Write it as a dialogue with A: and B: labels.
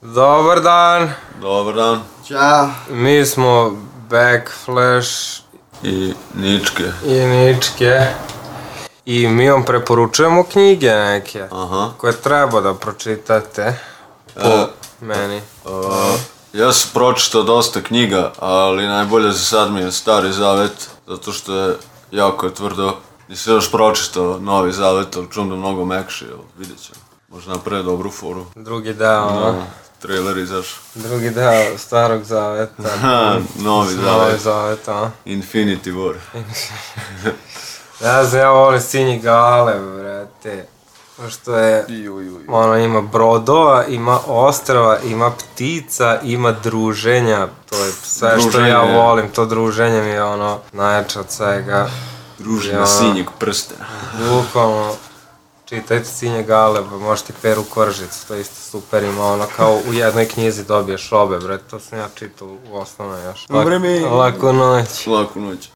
A: Dobar dan,
B: Dobar dan.
C: Ćao.
A: mi smo Backflash
B: I Ničke.
A: i mi vam preporučujemo knjige neke
B: Aha.
A: koje treba da pročitate po meni.
B: Ja sam pročitao dosta knjiga, ali najbolje za sad mi je Stari Zavet, zato što je jako tvrdo. Nisam još pročitao Novi Zavet, ali čujem da mnogo mekši, vidjet ćemo. Možda napravi dobru foru.
A: Drugi deo,
B: Trailer izašao.
A: drugi deo Starog Zaveta.
B: Novi
A: Novi
B: Zavet.
A: Zavet,
B: Infinity War.
A: Ja znam, ja volim Sinji Gale, brate. Što je, ima brodova, ima ostrava, ima ptica, ima druženja. To je sve što ja volim, to druženje mi je najjače od svega.
B: Druženje Sinjeg prstena.
A: Bukvalno, čitajte Sinje Gale, možete Peru Koržicu, to je isto super, ima kao u jednoj knjizi dobiješ obe, bre, to sam ja čitao u osnovnoj još.
C: Dobre mi.
A: Laku noć.
B: Laku noć.